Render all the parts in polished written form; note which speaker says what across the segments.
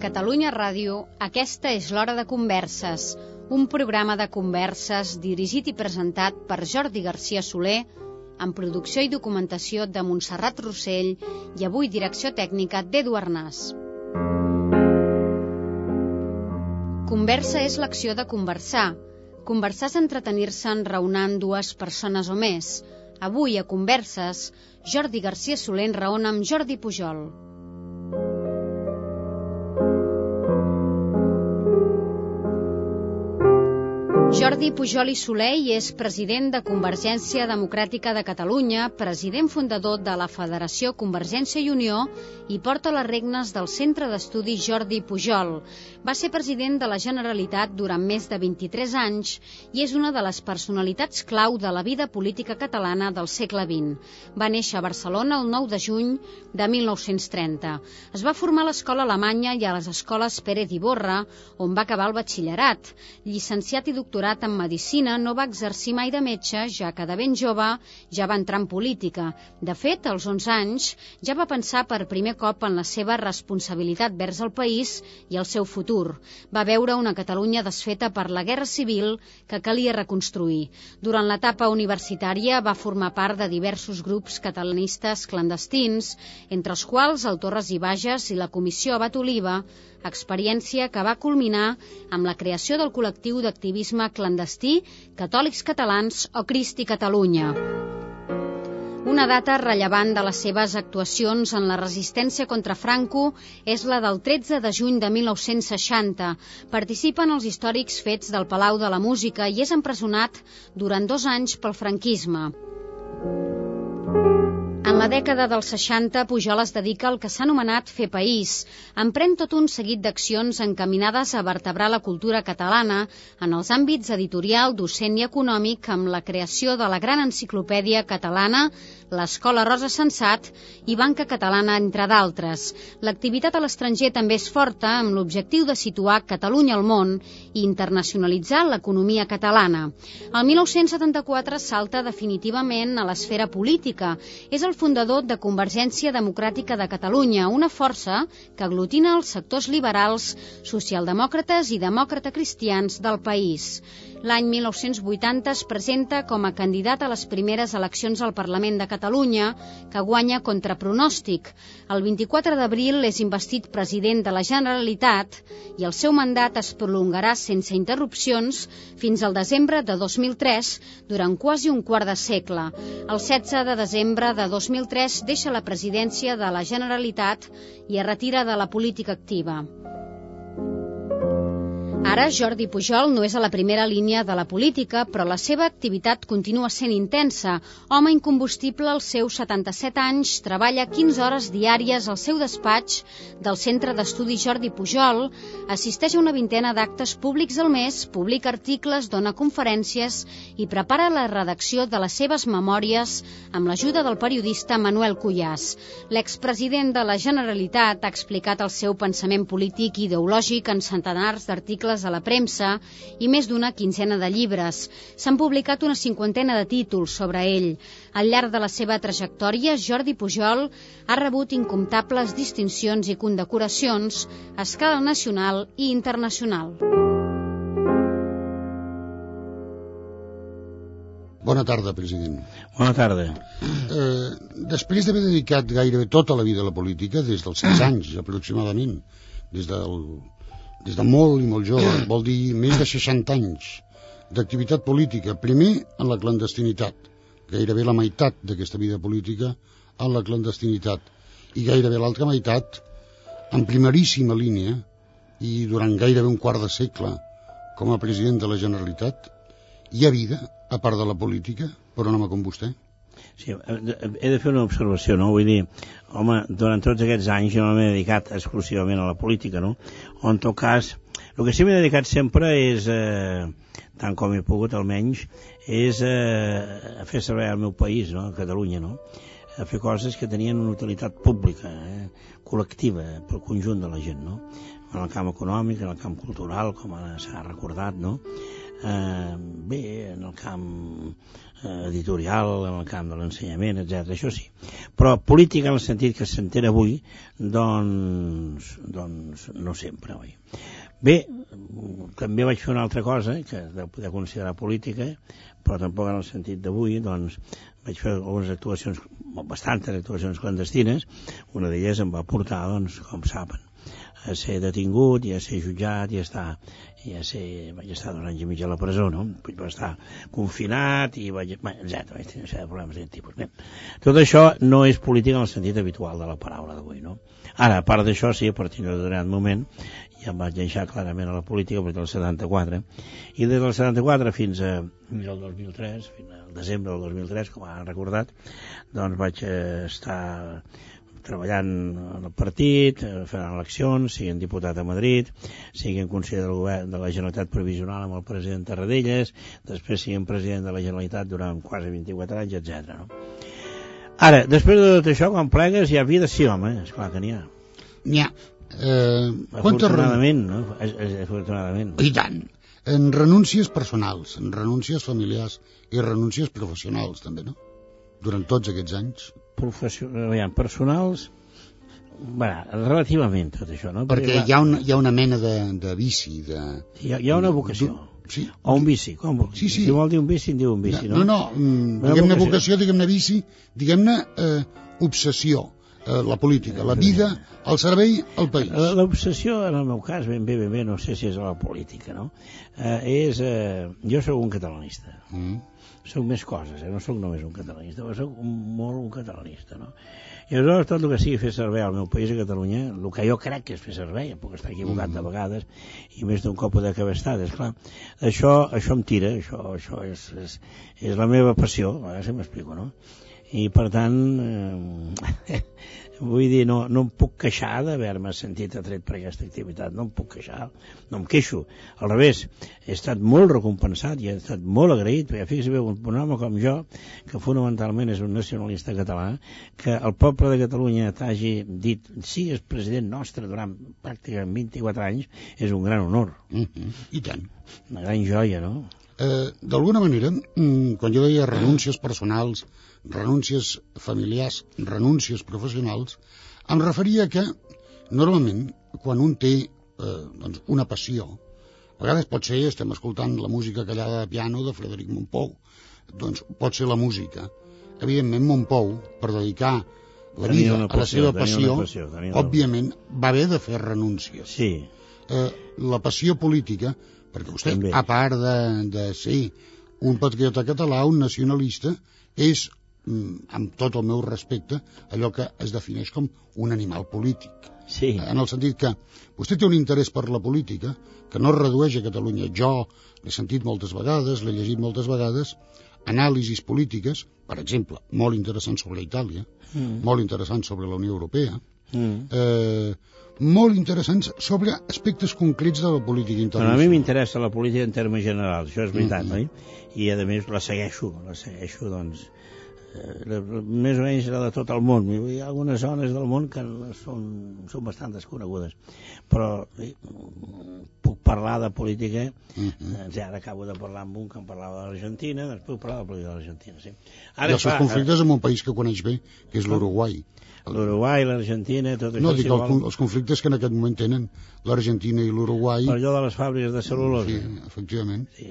Speaker 1: Catalunya Ràdio, aquesta és l'Hora de Converses, un programa de converses dirigit i presentat per Jordi Garcia Soler, amb producció i documentació de Montserrat Rossell i avui direcció tècnica d'Edu Arnàs. Conversa és l'acció de conversar. Conversar és entretenir-se enraonant dues persones o més. Avui, a Converses, Jordi Garcia Soler enraona amb Jordi Pujol. Jordi Pujol i Soler és president de Convergència Democràtica de Catalunya, president fundador de la Federació Convergència i Unió i porta les regnes del Centre d'Estudis Jordi Pujol. Va ser president de la Generalitat durant més de 23 anys i és una de les personalitats clau de la vida política catalana del segle XX. Va néixer a Barcelona el 9 de juny de 1930. Es va formar a l'escola alemanya i a les escoles Pérez Iborra, on va acabar el batxillerat. Llicenciat i doctorat en Medicina, no va exercir mai de metge, ja que de ben jove ja va entrar en política. De fet, als 11 anys ja va pensar per primer cop en la seva responsabilitat vers el país i el seu futur. Va veure una Catalunya desfeta per la Guerra Civil que calia reconstruir. Durant l'etapa universitària va formar part de diversos grups catalanistes clandestins, entre els quals el Torres i Bages i la Comissió Abat Oliva, experiència que va culminar amb la creació del col·lectiu d'activisme clandestí Catòlics Catalans o Cristi Catalunya. Una data rellevant de les seves actuacions en la resistència contra Franco és la del 13 de juny de 1960. Participa en els històrics fets del Palau de la Música i és empresonat durant 2 anys pel franquisme. En la dècada dels 60, Pujol es dedica al que s'ha anomenat fer país. Emprèn tot un seguit d'accions encaminades a vertebrar la cultura catalana en els àmbits editorial, docent i econòmic, amb la creació de la gran enciclopèdia catalana, l'Escola Rosa Sensat i Banca Catalana, entre d'altres. L'activitat a l'estranger també és forta, amb l'objectiu de situar Catalunya al món i internacionalitzar l'economia catalana. El 1974 salta definitivament a l'esfera política. És el fundador de Convergència Democràtica de Catalunya, una força que aglutina els sectors liberals, socialdemòcrates i demòcrata-cristians del país. L'any 1980 es presenta com a candidat a les primeres eleccions al Parlament de Catalunya, que guanya contra pronòstic. El 24 d'abril és investit president de la Generalitat i el seu mandat es prolongarà sense interrupcions fins al desembre de 2003, durant quasi un quart de segle. El 16 de desembre de 2003 deixa la presidència de la Generalitat i es retira de la política activa. Ara, Jordi Pujol no és a la primera línia de la política, però la seva activitat continua sent intensa. Home incombustible als seus 77 anys, treballa 15 hores diàries al seu despatx del Centre d'Estudis Jordi Pujol, assisteix a una vintena d'actes públics al mes, publica articles, dona conferències i prepara la redacció de les seves memòries amb l'ajuda del periodista Manuel Cuyàs. L'expresident de la Generalitat ha explicat el seu pensament polític i ideològic en centenars d'articles a la premsa i més d'una quinzena de llibres. S'han publicat una 50ena de títols sobre ell. Al llarg de la seva trajectòria, Jordi Pujol ha rebut incomptables distincions i condecoracions a escala nacional i internacional.
Speaker 2: Bona tarda, president.
Speaker 3: Bona tarda.
Speaker 2: Després d'haver dedicat gairebé tota la vida a la política, des dels 6 anys aproximadament, des de molt i molt jove, vol dir més de 60 anys d'activitat política, primer en la clandestinitat, gairebé la meitat d'aquesta vida política en la clandestinitat, i gairebé l'altra meitat en primeríssima línia i durant gairebé un quart de segle com a president de la Generalitat. Hi ha vida, a part de la política, per un home com vostè?
Speaker 3: Sí, he de fer una observació, no? Vull dir, home, durant tots aquests anys jo no m'he dedicat exclusivament a la política, no? O en tot cas, el que sí m'he dedicat sempre és, tant com he pogut almenys, és a fer servei al meu país, no? A Catalunya, no? A fer coses que tenien una utilitat pública, col·lectiva, pel conjunt de la gent, no? En el camp econòmic, en el camp cultural, com ara s'ha recordat, no? Bé, en el camp editorial, en el camp de l'ensenyament, etc. Això sí. Però política en el sentit que s'entén avui, doncs no sempre, oi? Bé, també vaig fer una altra cosa, que deu poder considerar política, però tampoc en el sentit d'avui, doncs vaig fer algunes actuacions, bastantes actuacions clandestines. Una d'elles em va portar, doncs, com saben, a ser detingut i a ser jutjat i vaig estar 2 anys i mig a la presó, no? Vaig estar confinat i vaig tenir problemes d'aquest tipus. Bé, tot això no és política en el sentit habitual de la paraula d'avui, no? Ara, a part d'això, sí, a partir d'un determinat moment ja em vaig deixar clarament a la política a partir del 74, i des del 74 fins al 2003, fins al desembre del 2003, com han recordat, doncs vaig estar treballant en el partit, fent eleccions, siguin diputat a Madrid, siguin conseller del govern de la Generalitat provisional amb el president Tarradellas, després siguin president de la Generalitat durant quasi 24 anys, etc. No? Ara, després de tot això, quan plegues, hi ha vida, sí, home, esclar que n'hi ha.
Speaker 2: N'hi ha.
Speaker 3: Afortunadament, no? Afortunadament.
Speaker 2: I tant. En renúncies personals, en renúncies familiars i renúncies professionals, també, no? Durant tots aquests anys.
Speaker 3: Personals, relativament tot això, no?
Speaker 2: Perquè hi ha una mena de vici.
Speaker 3: Hi ha una vocació.
Speaker 2: Sí.
Speaker 3: O un vici.
Speaker 2: Sí.
Speaker 3: Si vol dir un vici, en diu un vici, no?
Speaker 2: No, diguem-ne vocació, diguem-ne vici, diguem-ne obsessió. La política, la vida, el servei al país.
Speaker 3: L'obsessió, en el meu cas, ben bé, no sé si és a la política, no? Jo sóc un catalanista. Soc més coses, no sóc només un catalanista, però sóc molt un catalanista, no? I aleshores tot el que sigui fer servei al meu país, a Catalunya, el que jo crec que és fer servei, puc estar equivocat de vegades, i més d'un cop poder que haver estat, esclar. Això em tira, això és la meva passió, a veure si m'explico, no? I per tant, vull dir, no em puc queixar d'haver-me sentit atret per aquesta activitat, no em puc queixar, no em queixo, al revés, he estat molt recompensat i he estat molt agraït, perquè fixi bé, un home com jo, que fonamentalment és un nacionalista català, que el poble de Catalunya t'hagi dit, sí, és president nostre durant pràcticament 24 anys, és un gran honor.
Speaker 2: I tant.
Speaker 3: Una gran joia, no?
Speaker 2: D'alguna manera, quan jo deia renúncies personals, renúncies familiars, renúncies professionals, em referia que normalment quan un té una passió, a vegades pot ser, estem escoltant la música callada de piano de Frederic Mompou, doncs pot ser la música. Evidentment Mompou, per dedicar la vida a la seva passió, òbviament va haver de fer renúncies.
Speaker 3: Sí.
Speaker 2: La passió política, perquè vostè, a part de ser un patriota català, un nacionalista, és, amb tot el meu respecte, allò que es defineix com un animal polític.
Speaker 3: Sí.
Speaker 2: En el sentit que vostè té un interès per la política que no es redueix a Catalunya. Jo l'he sentit moltes vegades, l'he llegit moltes vegades, anàlisis polítiques, per exemple, molt interessants sobre Itàlia, molt interessants sobre la Unió Europea, molt interessants sobre aspectes concrets de la política internacional.
Speaker 3: A mi m'interessa la política en termes generals, això és veritat, oi? I a més la segueixo, doncs, més o menys la de tot el món. Hi ha algunes zones del món que són bastant desconegudes, però puc parlar de política. Ara acabo de parlar amb un que em parlava de l'Argentina, doncs puc parlar de la política de l'Argentina, sí.
Speaker 2: I els seus conflictes amb un país que coneix bé, que és l'Uruguai.
Speaker 3: L'Uruguai, l'Argentina, tot això.
Speaker 2: No, dic els conflictes que en aquest moment tenen l'Argentina i l'Uruguai.
Speaker 3: Per allò de les fàbriques de cel·lulosa.
Speaker 2: Sí, efectivament.
Speaker 3: Sí,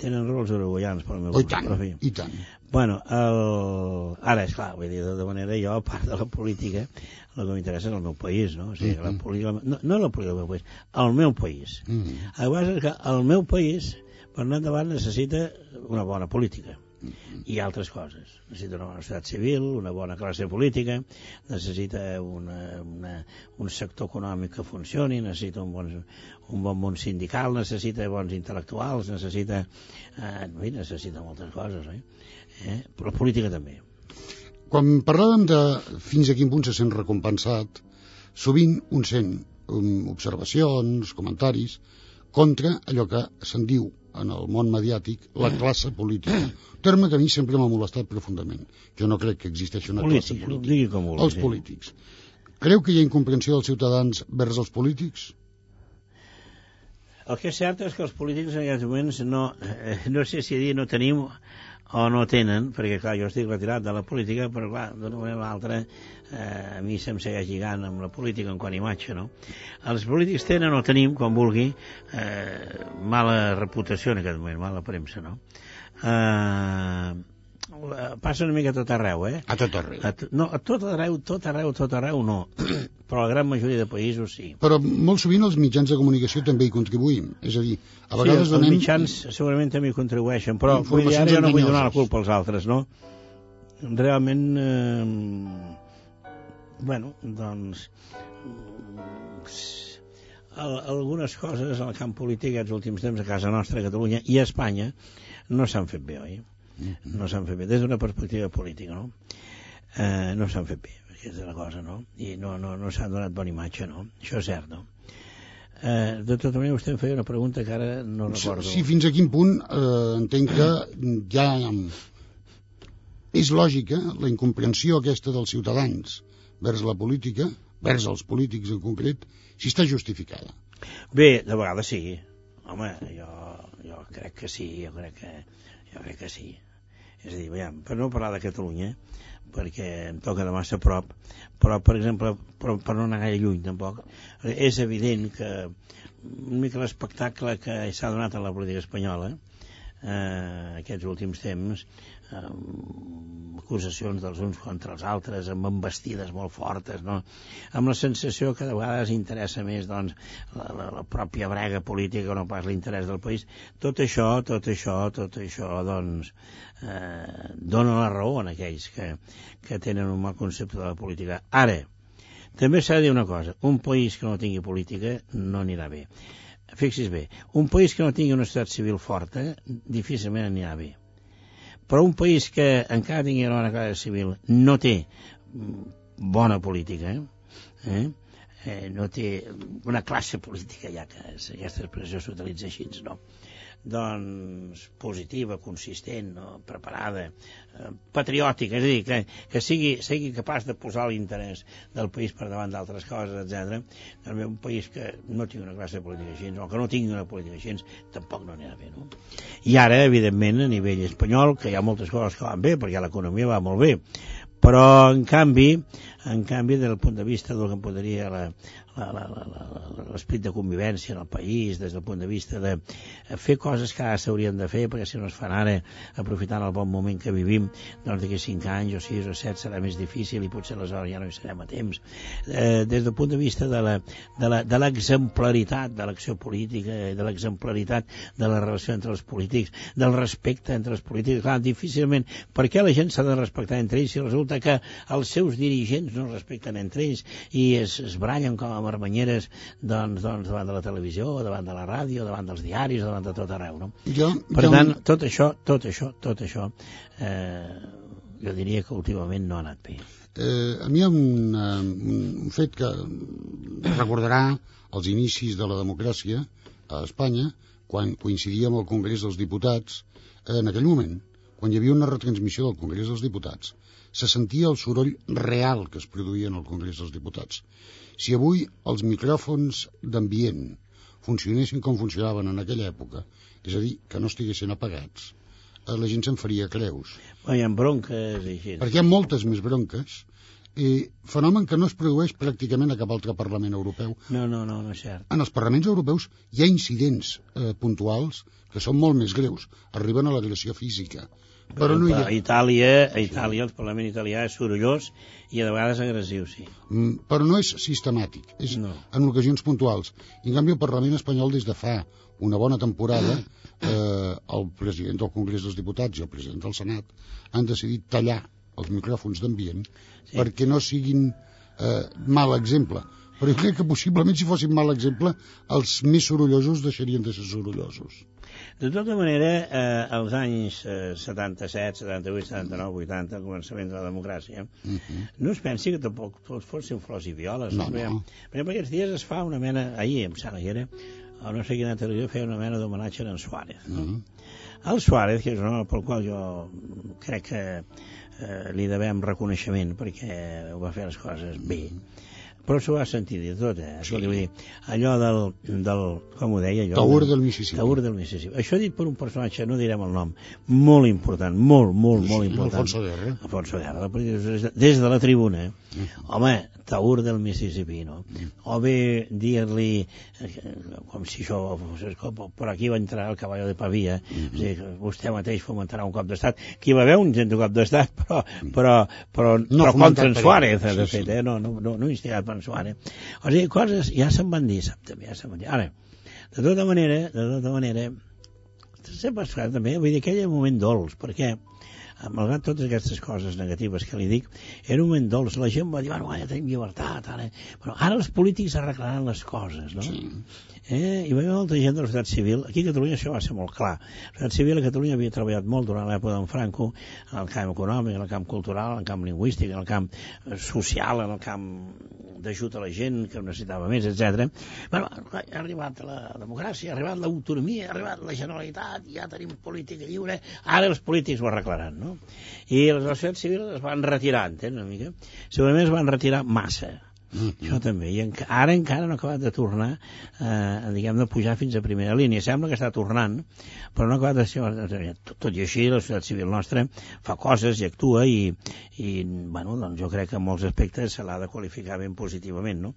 Speaker 3: tenen raó els uruguaians, per al meu
Speaker 2: gust. I tant.
Speaker 3: Bueno, ara, esclar, vull dir, de manera, jo, a part de la política, el que m'interessa és el meu país, no? O sigui, la política, no la política del meu país, el meu país. El que passa és que el meu país, per anar endavant, necessita una bona política. I altres coses. Necessita una bona societat civil, una bona classe política, necessita un sector econòmic que funcioni, necessita un bon món sindical, necessita bons intel·lectuals, necessita moltes coses, oi? Però la política també.
Speaker 2: Quan parlàvem de fins a quin punt se sent recompensat, sovint un sent observacions, comentaris, contra allò que se'n diu en el món mediàtic la classe política. Un terme que a mi sempre m'ha molestat profundament. Jo no crec que existeixi una classe política. Els polítics. Creu que hi ha incomprensió dels ciutadans vers els polítics?
Speaker 3: El que és cert és que els polítics en aquests moments no sé si dir no tenim o no tenen, perquè clar, jo estic retirat de la política, però clar, d'una manera o l'altra a mi se'm segueix lligant amb la política en quant a imatge, no? Els polítics tenen o tenim, quan vulgui, mala reputació en aquest moment, mala premsa, no? Passa una mica a tot arreu,
Speaker 2: A tot arreu.
Speaker 3: No, a tot arreu no, però la gran majoria de països sí.
Speaker 2: Però molt sovint els mitjans de comunicació també hi contribuïm, és a dir, a vegades
Speaker 3: els mitjans segurament també hi contribueixen, però ara jo no vull donar la culpa als altres, no? Realment, bueno, doncs algunes coses al camp polític aquests últims temps a casa nostra, a Catalunya i a Espanya no s'han fet bé, oi? No s'han fet bé, des d'una perspectiva política, no? No s'han fet bé, perquè és la cosa, no? I no s'ha donat bona imatge, no? Això és cert, no? De tota manera, vostè em feia una pregunta que ara no recordo.
Speaker 2: Sí, fins a quin punt entenc que ja és lògica la incomprensió aquesta dels ciutadans vers la política, vers els polítics en concret, si està justificada.
Speaker 3: Bé, de vegades sí. Home, jo crec que sí, jo crec que sí. És a dir, veiem, per no parlar de Catalunya, perquè em toca de massa a prop, però, per exemple, per no anar gaire lluny, tampoc, és evident que una mica l'espectacle que s'ha donat a la política espanyola aquests últims temps, acusacions dels uns contra els altres, amb embestides molt fortes, no? Amb la sensació que de vegades interessa més doncs, la pròpia brega política, no pas l'interès del país. Tot això doncs, dona la raó a aquells que tenen un mal concepte de la política. Ara, també s'ha de dir una cosa, un país que no tingui política no anirà bé. Fixis bé, un país que no tingui una societat civil forta difícilment anirà bé. Però un país que encara tingui una bona classe civil no té bona política, no té una classe política, ja que aquesta expressió s'utilitza així, no? Doncs positiva, consistent, no? Preparada, patriòtica, és a dir, que sigui capaç de posar l'interès del país per davant d'altres coses, etc. També un país que no tingui una classe política així, o que no tingui una política així, tampoc no anirà bé, no? I ara, evidentment, a nivell espanyol, que hi ha moltes coses que van bé, perquè l'economia va molt bé, però, en canvi, des del punt de vista del que podria l'esprit de convivència en el país, des del punt de vista de fer coses que ara s'haurien de fer, perquè si no es fan ara, aprofitant el bon moment que vivim, doncs d'aquí 5 anys o 6 o 7 serà més difícil i potser aleshores ja no hi serem a temps. Des del punt de vista de l'exemplaritat de l'acció política, de l'exemplaritat de la relació entre els polítics, del respecte entre els polítics, clar, difícilment, per què la gent s'ha de respectar entre ells si resulta que els seus dirigents no es respecten entre ells i es barallen com a marmanyeres doncs davant de la televisió, davant de la ràdio, davant dels diaris, davant de tot arreu, no? Per tant, tot això jo diria que últimament no ha anat bé.
Speaker 2: A mi hi ha un fet que recordarà els inicis de la democràcia a Espanya, quan coincidia amb el Congrés dels Diputats. En aquell moment, quan hi havia una retransmissió del Congrés dels Diputats, se sentia el soroll real que es produïa en el Congrés dels Diputats. Si avui els micròfons d'ambient funcionessin com funcionaven en aquella època, és a dir, que no estiguessin apagats, la gent se'n faria creus.
Speaker 3: Hi ha bronques i així.
Speaker 2: Perquè hi ha moltes més bronques, fenomen que no es produeix pràcticament a cap altre Parlament europeu.
Speaker 3: No és cert.
Speaker 2: En els parlaments europeus hi ha incidents puntuals que són molt més greus, arriben a l'agressió física. Però no hi ha...
Speaker 3: A Itàlia, el Parlament italià és sorollós i de vegades agressiu, sí.
Speaker 2: Però no és sistemàtic, és en ocasions puntuals. I en canvi el Parlament espanyol des de fa una bona temporada el president del Congrés dels Diputats i el president del Senat han decidit tallar els micròfons d'ambient perquè no siguin mal exemple. Però jo crec que possiblement si fossin mal exemple els més sorollosos deixarien de ser sorollosos.
Speaker 3: De tota manera, als anys 77, 78, 79, 80, al començament de la democràcia, no es pensi que tampoc tots fossin flors i violes.
Speaker 2: No.
Speaker 3: Per exemple, aquests dies es fa una mena, ahir, em sembla que era, o no sé quina televisió, feia una mena d'homenatge a en Suárez. El Suárez, que és un home pel qual jo crec que li devem reconeixement, perquè ho va fer les coses bé, però s'ho va sentir dir tot, sí. Vull dir, allò del com ho deia allò?
Speaker 2: Taür del Mississippi.
Speaker 3: Taür del Mississippi. Això dit per un personatge, no direm el nom, molt important, molt important. Alfonso Guerra, des de la tribuna. Home, Taür del Mississippi, no? O bé dir-li, com si això fos, per aquí va entrar el caballo de Pavia, vostè mateix fomentarà un cop d'estat, que hi va haver un gent de cop d'estat, però contra en Suárez, de fet, no instigat per en Suárez. O sigui, coses ja se'n van dir, sap, també, ja se'n van dir. Ara, de tota manera, sempre es fa també, vull dir, aquell moment dolç, perquè, malgrat totes aquestes coses negatives que li dic, era un moment dolç, la gent va dir, bueno, ja tenim llibertat, ara els polítics arreglaran les coses, no? Sí. Hi va haver molta gent de la societat civil. Aquí a Catalunya això va ser molt clar. La societat civil a Catalunya havia treballat molt durant l'època d'en Franco en el camp econòmic, en el camp cultural, en el camp lingüístic, en el camp social, en el camp d'ajut a la gent que ho necessitava més, etc. Bueno, ha arribat la democràcia, ha arribat l'autonomia, ha arribat la Generalitat, ja tenim política lliure, ara els polítics ho arreglaran, no? I la societat civil es van retirar, entens, una mica? Segurament es van retirar massa. Això també, i ara encara no ha acabat de tornar diguem, de pujar fins a primera línia. Sembla que està tornant, però no ha acabat de... Tot i així, la societat civil nostra fa coses i actua i bueno, doncs jo crec que en molts aspectes se l'ha de qualificar ben positivament, no?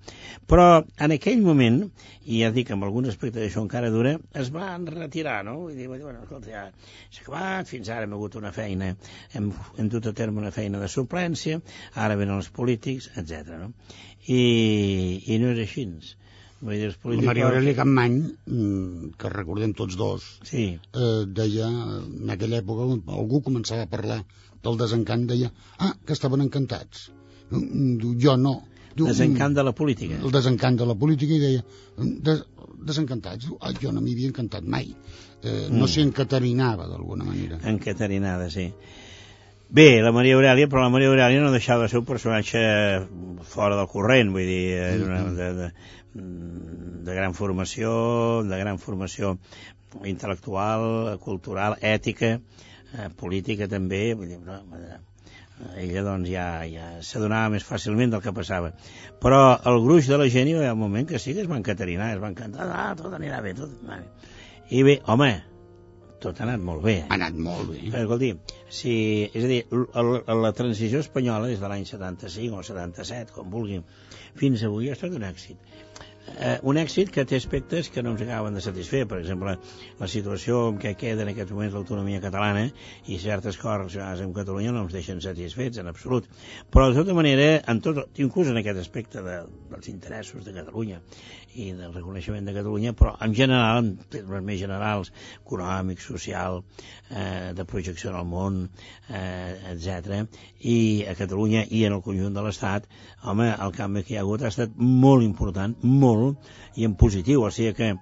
Speaker 3: Però en aquell moment, i ja dic, amb alguns aspectes d'això encara dura, es van retirar, no? Vull dir, bueno, escolta, ja s'ha acabat, fins ara hem hagut una feina, hem dut a terme una feina de suplència, ara venen els polítics, etc. no? I no és així. Vull dir,
Speaker 2: la Maria Aurelia Capmany, que recordem tots dos, sí. Deia, en aquella època, algú començava a parlar del desencant, deia, que estaven encantats. Jo no.
Speaker 3: Desencant de la política.
Speaker 2: El desencant de la política, i deia, desencantats. Jo no m'hi havia encantat mai. No sé, encaterinava d'alguna manera.
Speaker 3: Encaterinada, sí. Bé, la Maria Aurelia, però la Maria Aurelia no deixava de ser un personatge fora del corrent, vull dir, de gran formació intel·lectual, cultural, ètica, política també, vull dir, ella doncs ja s'adonava més fàcilment del que passava. Però el gruix de la gent hi va haver un moment que sí que es van caterinar, es van cantar, tot anirà bé, tot anirà bé. I bé, home, tot ha anat molt bé.
Speaker 2: Ha anat molt bé.
Speaker 3: Però, escolti, és a dir, la transició espanyola des de l'any 75 o 77, com vulguin, fins avui ha estat un èxit. Un èxit que té aspectes que no ens acaben de satisfer. Per exemple, la situació en què queda en aquests moments l'autonomia catalana i certes coses en Catalunya no ens deixen satisfets en absolut. Però de tota manera, inclús en aquest aspecte dels interessos de Catalunya i del reconeixement de Catalunya, però en general, en termes més generals, econòmic, social, de projecció en el món, etc. I a Catalunya i en el conjunt de l'Estat, home, el canvi que hi ha hagut ha estat molt important, molt, i en positiu, o sigui que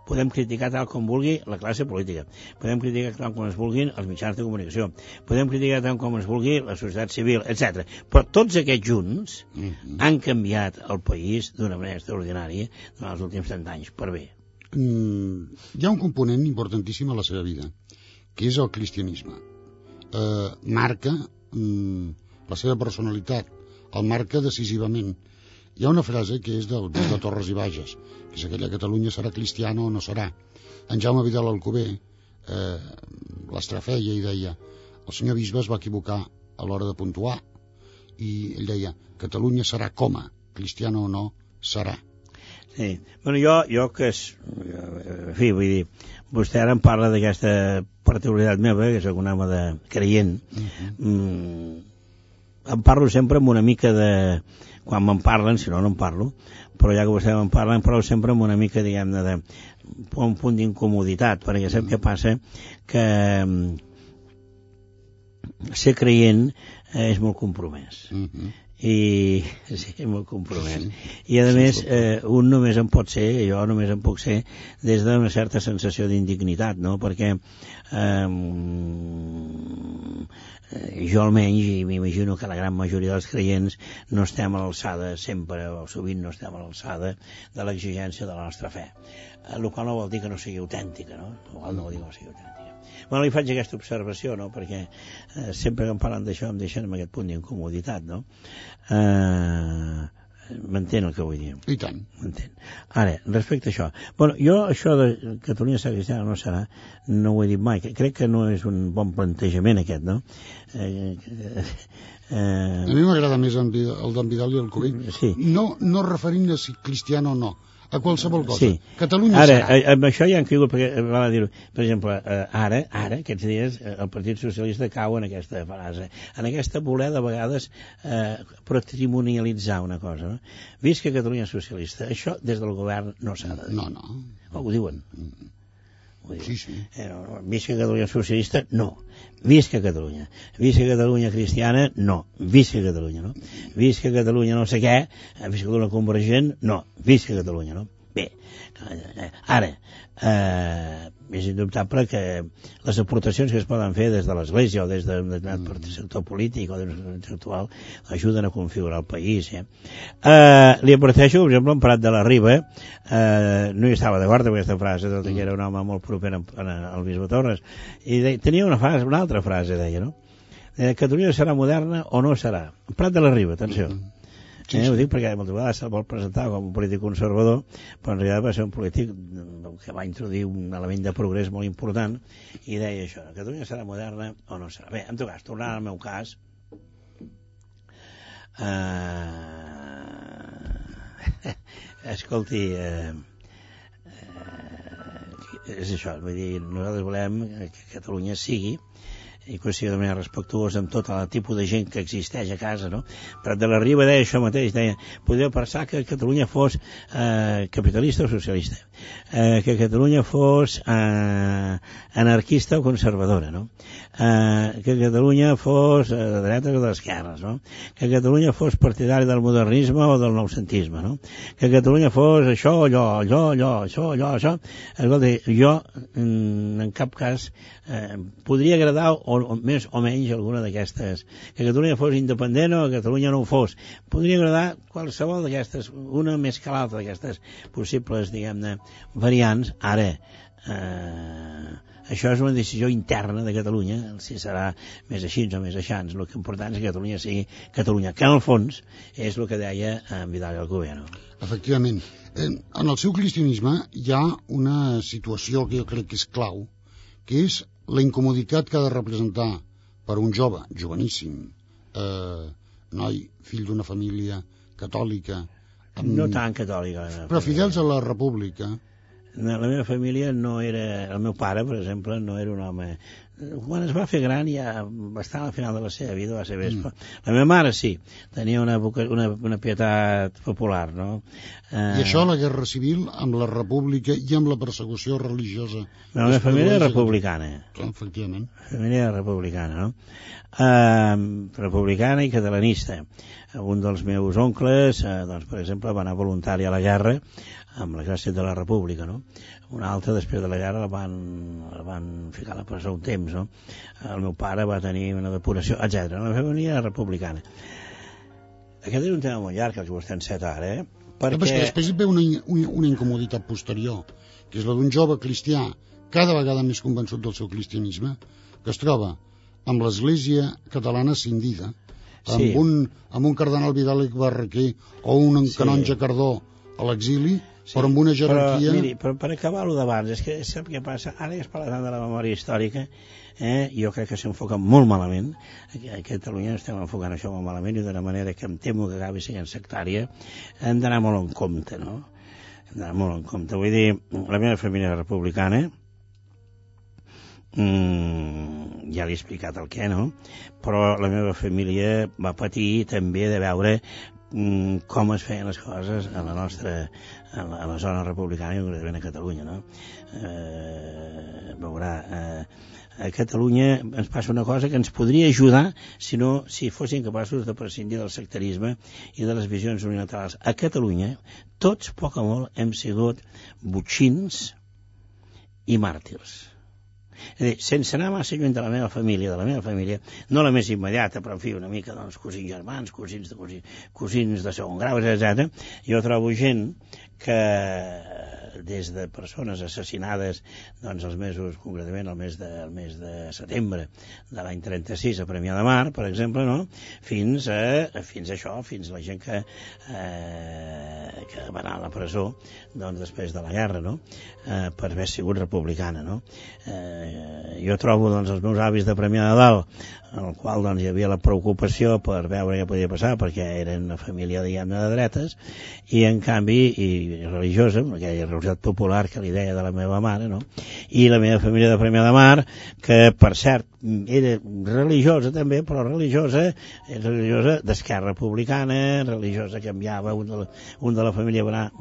Speaker 3: podem criticar tal com vulgui la classe política, podem criticar tal com es vulguin els mitjans de comunicació, podem criticar tal com es vulgui la societat civil, etc. Però tots aquests junts han canviat el país d'una manera extraordinària durant els últims 30 anys, per bé.
Speaker 2: Hi ha un component importantíssim a la seva vida, que és el cristianisme. Marca la seva personalitat, el marca decisivament. Hi ha una frase que és de Torres i Bages, que és aquella: Catalunya serà cristiana o no serà. En Jaume Vidal Alcover l'estrafeia i deia: el senyor bisbe es va equivocar a l'hora de puntuar, i ell deia: Catalunya serà coma, cristiana o no serà.
Speaker 3: Sí, bueno, jo que en fi, vull dir, vostè ara em parla d'aquesta particularitat meva, que és un home de creient, em parlo sempre amb una mica de... quan me'n parlen, si no en parlo, però ja que vostè me'n parla, em parlo sempre amb una mica, diguem-ne, de un punt d'incomoditat, perquè sap què passa? Que ser creient és molt compromès. I sí, molt compromès. I a més, un només en pot ser, jo només en puc ser, des d'una certa sensació d'indignitat, no? Perquè jo almenys, i m'imagino que la gran majoria dels creients, no estem a l'alçada sempre, o sovint no estem a l'alçada de l'exigència de la nostra fe. El qual no vol dir que no sigui autèntica, no? El qual no vol dir que no sigui autèntica. Bueno, li faig aquesta observació, no?, perquè sempre que em parlen d'això em deixen amb aquest punt d'incomoditat, no? M'entén el que vull dir?
Speaker 2: I tant.
Speaker 3: M'entén. Ara, respecte a això. Bueno, jo això de Catalunya serà cristiana no serà, no ho he dit mai. Crec que no és un bon plantejament aquest, no?
Speaker 2: A mi m'agrada més el d'en Vidal i el Cuber.
Speaker 3: Sí.
Speaker 2: No referint a si cristiano o no, a qualsevol cosa.
Speaker 3: Sí.
Speaker 2: Catalunya
Speaker 3: ara,
Speaker 2: serà.
Speaker 3: Amb això ja han caigut, perquè val a dir-ho. Per exemple, ara, aquests dies, el Partit Socialista cau en aquesta frase, en aquesta voler de vegades patrimonialitzar una cosa. No? Visca Catalunya socialista. Això des del govern no s'ha de dir.
Speaker 2: No.
Speaker 3: Ho diuen.
Speaker 2: Sí.
Speaker 3: Visca Catalunya socialista, no. Visca Catalunya. Visca Catalunya cristiana, no. Visca Catalunya, no? Visca Catalunya no sé què, visca Catalunya convergent, no. Visca Catalunya, no? Bé, ara, és indubtable que les aportacions que es poden fer des de l'Església o des d'un determinat sector polític o d'un sector ajuden a configurar el país. Li adverteixo, per exemple, en Prat de la Riba, no hi estava d'acord amb aquesta frase, tot i que era un home molt proper al bisbe Torres, i tenia una altra frase, deia, no? Catalunya serà moderna o no serà? Prat de la Riba, atenció. Ho dic perquè moltes vegades se'l vol presentar com un polític conservador, però en realitat va ser un polític que va introduir un element de progrés molt important i deia això, Catalunya serà moderna o no serà. Bé, en tot cas, tornant al meu cas, escolti, és això, vull dir, nosaltres volem que Catalunya sigui i que sigui de manera respectuosa amb tot el tipus de gent que existeix a casa, no? Prat de la Riba deia això mateix, deia, podeu pensar que Catalunya fos capitalista o socialista, que Catalunya fos anarquista o conservadora, no? Que Catalunya fos de dretes o d'esquerres, no? Que Catalunya fos partidari del modernisme o del noucentisme, no? Que Catalunya fos això, això. Escolta, jo en cap cas podria agradar o més o menys alguna d'aquestes, que Catalunya fos independent o que Catalunya no ho fos, podria agradar qualsevol d'aquestes, una més que l'altra d'aquestes possibles, diguem-ne, variants. Ara això és una decisió interna de Catalunya, si serà més així o més aixans. El que important és que Catalunya sigui Catalunya, que en el fons és el que deia en Vidal i Alcover, no?
Speaker 2: Efectivament. En el seu cristianisme hi ha una situació que jo crec que és clau, que és la incomoditat que ha de representar per un jove, joveníssim, noi, fill d'una família catòlica...
Speaker 3: No tan catòlica.
Speaker 2: Però fidels a la república.
Speaker 3: La meva família no era... El meu pare, per exemple, no era un home... Quan es va fer gran, ja bastant al final de la seva vida, va ser vespa. La meva mare sí, tenia una pietat popular, no?
Speaker 2: I això, la guerra civil, amb la república i amb la persecució religiosa...
Speaker 3: La meva família era republicana.
Speaker 2: Efectivament.
Speaker 3: La família era republicana, no? Republicana i catalanista. Un dels meus oncles, doncs, per exemple, va anar voluntari a la guerra amb l'exèrcit de la república, no? Un altre, després de la guerra, el van ficar a la presó un temps, no? El meu pare va tenir una depuració, etc. La família era republicana. Aquest és un tema molt llarg, que vostè enceta ara, perquè...
Speaker 2: Però després ve una incomoditat posterior, que és la d'un jove cristià cada vegada més convençut del seu cristianisme, que es troba amb l'Església catalana cindida, amb un cardenal Vidal i Barraquer o un canonge Cardó a l'exili, però amb una jerarquia...
Speaker 3: Però, miri, per acabar-ho d'abans, és que sap què passa? Ara que es parla tant de la memòria històrica, jo crec que s'enfoca molt malament. A Catalunya estem enfocant això molt malament i d'una manera que em temo que acabi sent sectària. Hem d'anar molt en compte, no? Hem d'anar molt en compte. Vull dir, la meva família republicana, ja li he explicat el què, no? Però la meva família va patir també de veure com es feien les coses a la nostra, a la zona republicana i concretament a Catalunya, no? Veurà, a Catalunya ens passa una cosa que ens podria ajudar si fossin capaços de prescindir del sectarisme i de les visions unilaterals. A Catalunya, tots, poc o molt, hem sigut botxins i màrtirs. És a dir, sense anar massa lluny de la meva família, no la més immediata, però en fi, una mica, doncs, cosins germans, cosins de segon grau, etc. Jo trobo gent que des de persones assassinades doncs els mesos, concretament el mes de setembre de l'any 36 a Premià de Mar, per exemple, no? fins a la gent que va anar a la presó doncs, després de la guerra, no? Per haver sigut republicana, no? Jo trobo doncs, els meus avis de Premià de Dalt, en el qual doncs, hi havia la preocupació per veure què podia passar, perquè eren una família diguem-ne de dretes, i en canvi i religiosa, aquella religiositat popular que li deia de la meva mare, no? I la meva família de Premià de Mar, que per cert era religiosa també, però religiosa d'esquerra republicana, religiosa que enviava un de la família va anar,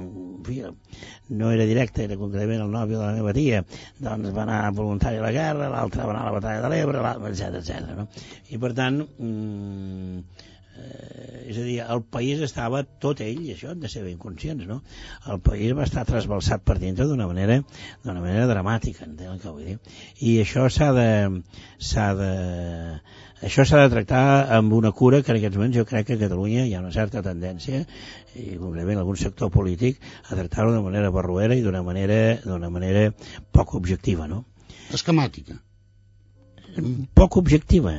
Speaker 3: no era directe, era concretament el nòvio de la meva tia, doncs va anar voluntari a la guerra, l'altre va anar a la batalla de l'Ebre, etc. No? I per tant és a dir, el país estava tot ell, i això hem de ser ben conscients, no? El país va estar trasbalsat per dintre d'una manera dramàtica, entenc el que vull dir, i això s'ha de tractar amb una cura que en aquests moments jo crec que a Catalunya hi ha una certa tendència, i concretament algun sector polític, a tractar-ho d'una manera barroera i d'una manera poc objectiva, no?
Speaker 2: Esquemàtica.
Speaker 3: Poc objectiva,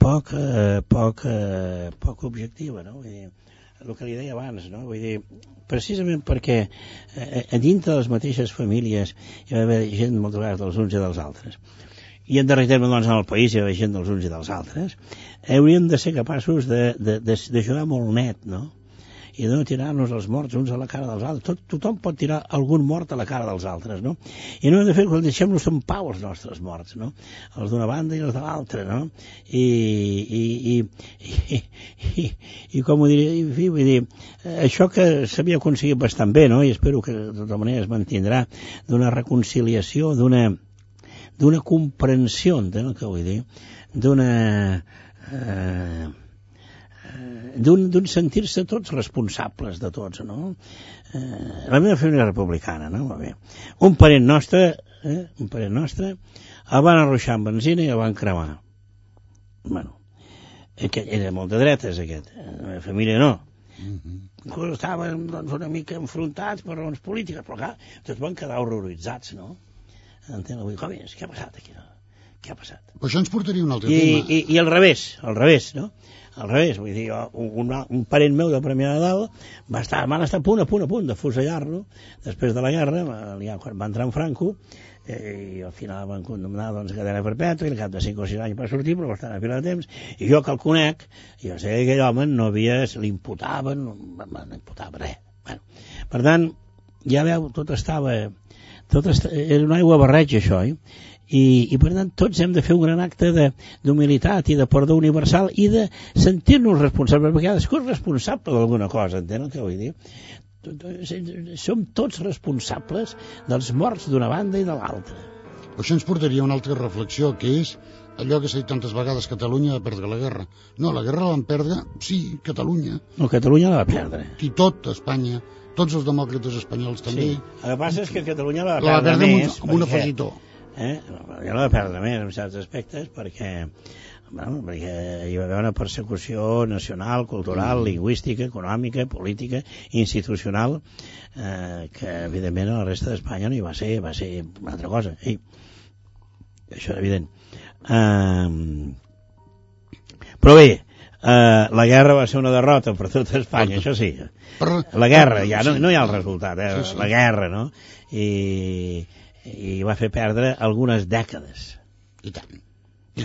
Speaker 3: poc objectiva, no? Vull dir, el que li deia abans, no? Vull dir, precisament perquè a dintre de les mateixes famílies hi va haver gent moltes vegades dels uns i dels altres, i en darrer terme doncs en el país hi va haver gent dels uns i dels altres, hauríem de ser capaços de jugar molt net, no? I de no tirar-nos els morts uns a la cara dels altres. Tothom pot tirar algun mort a la cara dels altres, no? I no hem de fer que deixem-nos en pau els nostres morts, no? Els d'una banda i els de l'altra, no? I com ho diré, vull dir, això que s'havia aconseguit bastant bé, no? I espero que de tota manera es mantindrà, d'una reconciliació, d'una comprensió, entenc el que vull dir, d'un sentir-se tots responsables de tots, no? La meva família republicana, no? Va bé. Un parent nostre el van arruixar amb benzina i el van cremar. Bueno, era molt de dretes aquest, la meva família no. Inclús estaven doncs, una mica enfrontats per raons polítiques, però clar, tots van quedar horroritzats, no? Entenc, vull dir, com és? Què ha passat aquí? Què ha passat?
Speaker 2: Però això ens portaria un altre tema.
Speaker 3: I al revés, no? Al revés, vull dir, un parent meu de Premià de Dalt van estar a punt de fusellar-lo després de la guerra, quan va entrar en Franco, i al final van condemnar doncs, a cadena perpètua i al cap de 5 o 6 anys va sortir, però va estar a fila de temps, i jo que el conec, jo sé que aquell home no l'imputaven, no imputava res. Bueno, per tant, ja veu, tot era un aigua barreig això, i per tant tots hem de fer un gran acte d'humilitat i de perdó universal i de sentir-nos responsables, perquè cadascú és responsable d'alguna cosa, entén el que vull dir? Som tots responsables dels morts d'una banda i de l'altra.
Speaker 2: Això ens portaria a una altra reflexió, que és allò que s'ha dit tantes vegades: Catalunya va perdre la guerra. No, la guerra la van perdre, sí, Catalunya.
Speaker 3: No, Catalunya la va perdre.
Speaker 2: I tot Espanya, tots els demòcrates espanyols també.
Speaker 3: Sí. El que passa és que Catalunya la va perdre més.
Speaker 2: Amb un afegitó.
Speaker 3: Ja la va perdre més en certs aspectes perquè hi va haver una persecució nacional, cultural, lingüística, econòmica, política, institucional, que evidentment a la resta d'Espanya no hi va ser una altra cosa. Això és evident. Però bé, la guerra va ser una derrota per tot Espanya, això sí. La guerra, ja no hi ha el resultat, la guerra, no? I va fer perdre algunes dècades.
Speaker 2: I tant.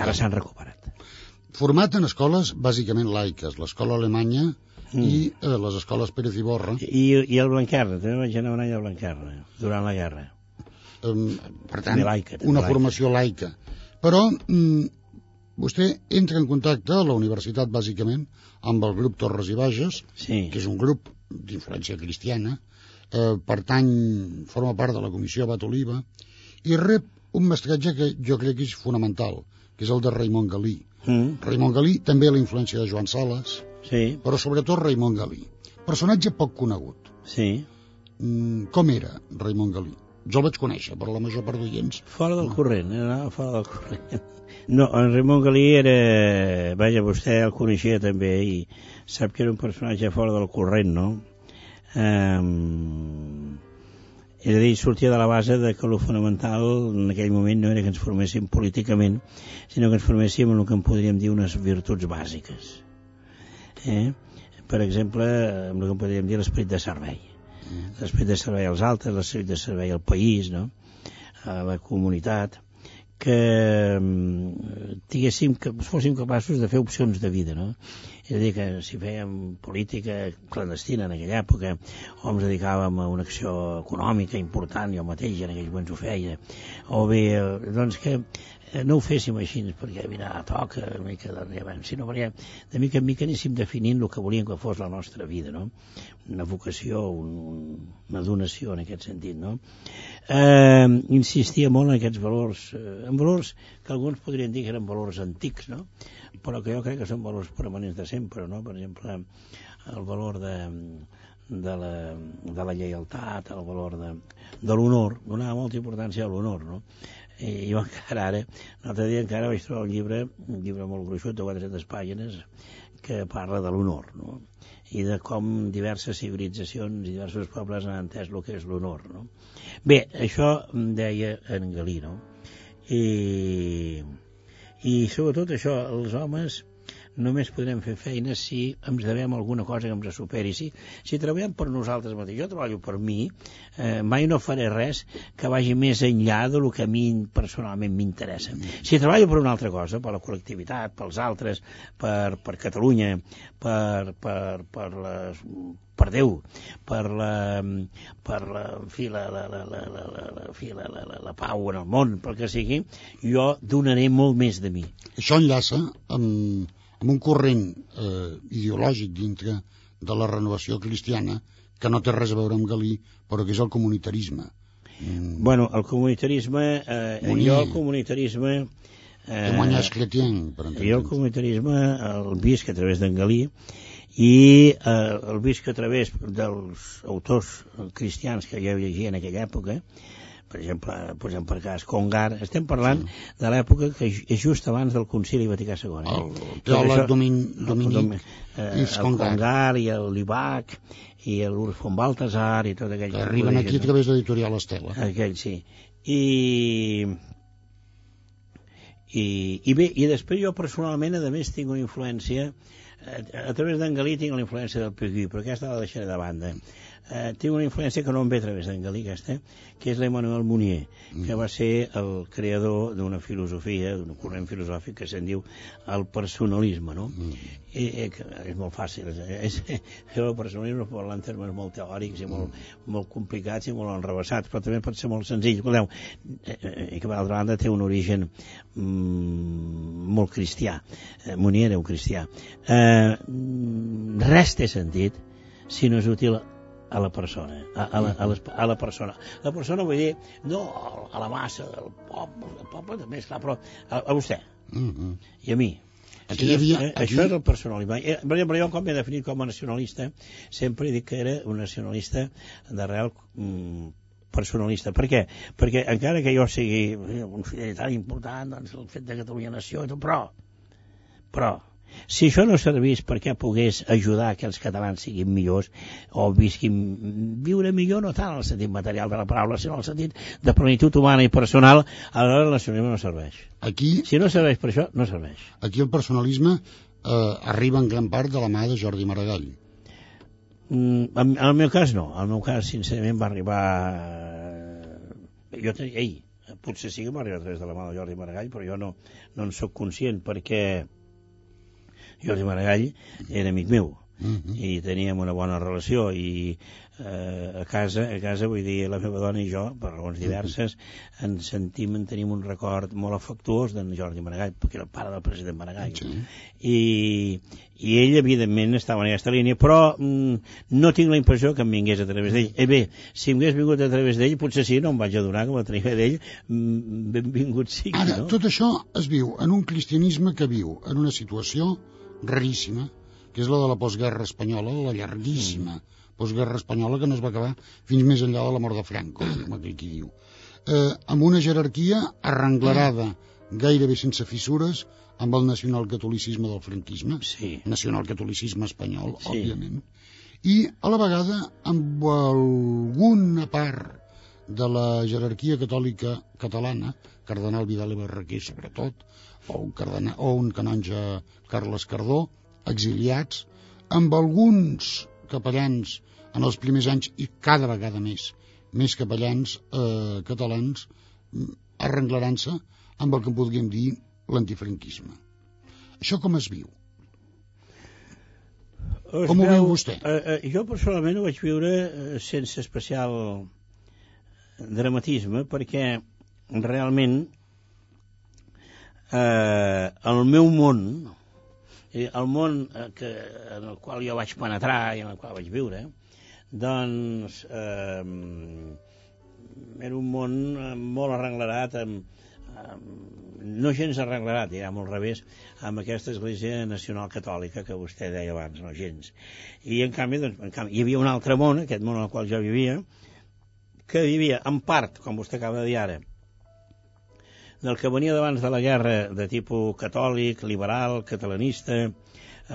Speaker 3: Ara s'han recuperat.
Speaker 2: Format en escoles bàsicament laiques, l'escola alemanya i les escoles Pérez i Borra.
Speaker 3: I el Blanquerna, també vaig anar un any al Blanquerna, durant la guerra.
Speaker 2: Per tant, una formació laica. Però vostè entra en contacte a la universitat bàsicament amb el grup Torres i Bages, que és un grup d'influència cristiana, forma part de la comissió Abat Oliva, i rep un mestratge que jo crec que és fonamental, que és el de Raimon Galí. Raimon Galí, també la influència de Joan Sales, però sobretot Raimon Galí. Personatge poc conegut. Com era Raimon Galí? Jo el vaig conèixer, però la major part d'oients...
Speaker 3: Fora del corrent, fora del corrent. No, en Raimon Galí era... Vaja, vostè el coneixia també, i sap que era un personatge fora del corrent, no? És a dir, sortia de la base de que el fonamental en aquell moment no era que ens forméssim políticament, sinó que ens forméssim en el que en podríem dir unes virtuts bàsiques. Per exemple, en el que en podríem dir l'esperit de servei. L'esperit de servei als altres, l'esperit de servei al país, no? A la comunitat, que fóssim capaços de fer opcions de vida, no? És a dir, que si fèiem política clandestina en aquella època, o ens dedicàvem a una acció econòmica important, jo mateix en aquells moments ho feia, o bé, doncs que no ho féssim així perquè mira, toca una mica sinó perquè de mica en mica anéssim definint el que volíem que fos la nostra vida, no? Una vocació, una donació en aquest sentit, no? Insistia molt en aquests valors, en valors que alguns podrien dir que eren valors antics, no? Però que jo crec que són valors permanents de sempre, no? Per exemple, el valor de la lleialtat, el valor de l'honor, donava molta importància a l'honor, no? I jo encara ara, l'altre dia encara vaig trobar un llibre molt gruixut de 400 pàgines que parla de l'honor, no? I de com diverses civilitzacions i diversos pobles han entès el que és l'honor, no? Bé, això em deia en Galí, no? I sobretot això, els homes només podrem fer feina si ens devem alguna cosa que ens superi. Si treballem per nosaltres mateixos, jo treballo per mi, mai no faré res que vagi més enllà del que a mi personalment m'interessa. Si treballo per una altra cosa, per la col·lectivitat, pels altres, per Catalunya, per Déu, per la pau en el món, pel que sigui, jo donaré molt més de mi.
Speaker 2: Això enllaça amb un corrent ideològic dintre de la renovació cristiana que no té res a veure amb Galí, però que és el comunitarisme.
Speaker 3: Bueno, el comunitarisme... jo el comunitarisme...
Speaker 2: Témoignage chrétien, per entendre'ns.
Speaker 3: Jo el comunitarisme el visc a través d'en Galí i el visc a través dels autors cristians que jo llegia en aquella època. Per exemple, posem per cas Congar. Estem parlant de l'època que és just abans del Concili Vaticà II.
Speaker 2: El teòleg Dominic
Speaker 3: Congar i el Libac i l'Urs von Balthasar i tot aquell...
Speaker 2: Que arriben aquí a través de l'editorial Estela.
Speaker 3: Aquell, sí. I bé, i després jo personalment, a més, tinc una influència... A través d'en Galí tinc la influència del Pegui, però aquesta la deixaré de banda. Tinc una influència que no em ve a través d'en Galí, aquesta, que és l'Emmanuel Mounier, que va ser el creador d'una filosofia, d'un corrent filosòfic que se'n diu el personalisme, no? És molt fàcil. El personalisme parla en termes molt teòrics i molt complicats i molt enrevessats, però també pot ser molt senzill. Escolteu, i que, per altra banda, té un origen molt cristià. Mounier era un cristià. Res té sentit si no és útil a la persona, a la persona. La persona vull dir, no a la massa del poble també, esclar, però a vostè i a mi. Això és el personalisme. Per exemple, jo com m'he definit com a nacionalista, sempre he dit que era un nacionalista d'arrel personalista. Per què? Perquè encara que jo sigui un fidelitat important, doncs el fet de Catalunya nació, però si això no servís perquè pogués ajudar que els catalans siguin millors o viure millor, no tant en el sentit material de la paraula, sinó en el sentit de plenitud humana i personal, aleshores el nacionalisme no serveix. Si no serveix per això, no serveix.
Speaker 2: Aquí el personalisme arriba en gran part de la mà de Jordi Maragall.
Speaker 3: En el meu cas no. El meu cas, sincerament, va arribar... potser sí que va arribar a través de la mà de Jordi Maragall, però jo no en soc conscient perquè Jordi Maragall era amic meu i teníem una bona relació i a casa, vull dir, la meva dona i jo, per raons diverses, en tenim un record molt afectuós d'en Jordi Maragall, perquè era el pare del president Maragall. I ell, evidentment, estava en aquesta línia, però no tinc la impressió que em vingués a través d'ell. Bé, si em hagués vingut a través d'ell, potser sí, no em vaig adonar que la tenia d'ell, benvingut sigui.
Speaker 2: Ara, tot això es viu en un cristianisme que viu en una situació raríssima, que és la de la postguerra espanyola, la llarguíssima postguerra espanyola que no es va acabar fins més enllà de la mort de Franco, com aquell qui diu. Amb una jerarquia arrenglerada gairebé sense fissures amb el nacionalcatolicisme del franquisme, nacionalcatolicisme espanyol, òbviament, i a la vegada amb alguna part de la jerarquia catòlica catalana, cardenal Vidal i Barraquer sobretot, o un canonge Carles Cardó, exiliats, amb alguns capellans en els primers anys i cada vegada més capellans catalans arrenglarant-se amb el que podríem dir l'antifranquisme. Això com es viu? Com ho viu vostè?
Speaker 3: Jo personalment ho vaig viure sense especial dramatisme, perquè realment el meu món, el món en el qual jo vaig penetrar i en el qual vaig viure, doncs era un món molt arrenglerat, no gens arrenglerat, diguem al revés, amb aquesta Església Nacional Catòlica que vostè deia abans, no gens. I en canvi, hi havia un altre món, aquest món en el qual jo vivia, que vivia en part, com vostè acaba de dir ara, del que venia d'abans de la guerra, de tipus catòlic, liberal, catalanista,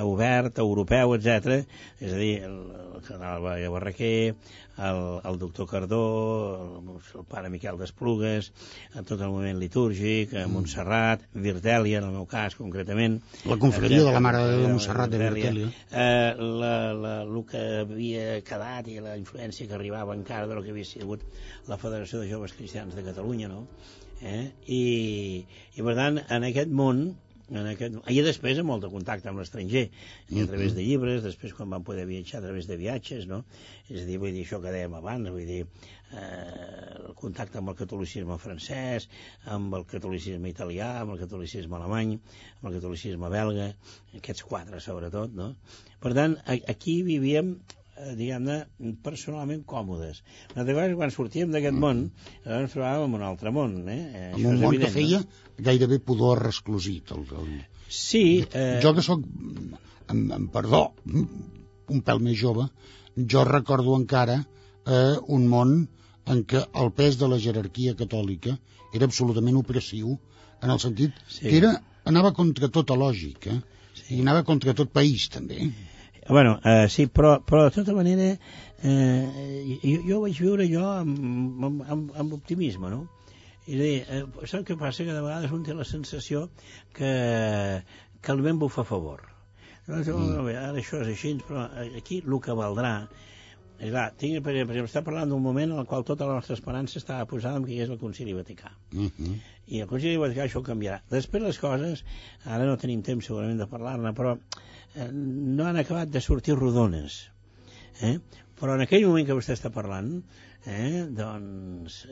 Speaker 3: obert, europeu, etc. És a dir, el cardenal Barraquer, el doctor Cardó, el pare Miquel d'Esplugues, tot el moviment litúrgic, Montserrat, Virtèlia, en el meu cas, concretament.
Speaker 2: La confraria de la Mare de Déu de Montserrat de Virtèlia.
Speaker 3: El que havia quedat i la influència que arribava encara del que havia sigut la Federació de Joves Cristians de Catalunya, no? I per tant, en aquest món, i després amb molt de contacte amb l'estranger, a través de llibres, després quan vam poder viatjar a través de viatges, no? És a dir, vull dir, això que dèiem abans, vull dir, el contacte amb el catolicisme francès, amb el catolicisme italià, amb el catolicisme alemany, amb el catolicisme belga, aquests quatre sobretot, no? Per tant, aquí vivíem, diguem-ne, personalment còmodes. Una altra cosa, quan sortíem d'aquest món, ens trobàvem en un altre món.
Speaker 2: En un món que feia gairebé pudor resclosit.
Speaker 3: Sí.
Speaker 2: Jo que sóc, amb perdó, un pèl més jove, jo recordo encara un món en què el pes de la jerarquia catòlica era absolutament opressiu, en el sentit que anava contra tota lògica i anava contra tot país, també.
Speaker 3: Bueno, sí, però de tota manera jo vaig viure amb optimisme, no? És a dir, sap què passa? Que de vegades un té la sensació que el vent bufa a favor. Ara això és així, però aquí el que valdrà és clar, per exemple, està parlant d'un moment en el qual tota la nostra esperança estava posada en què hi és el Concili Vaticà. I el Concili Vaticà això canviarà. Després les coses, ara no tenim temps segurament de parlar-ne, però no han acabat de sortir rodones. Però en aquell moment que vostè està parlant, doncs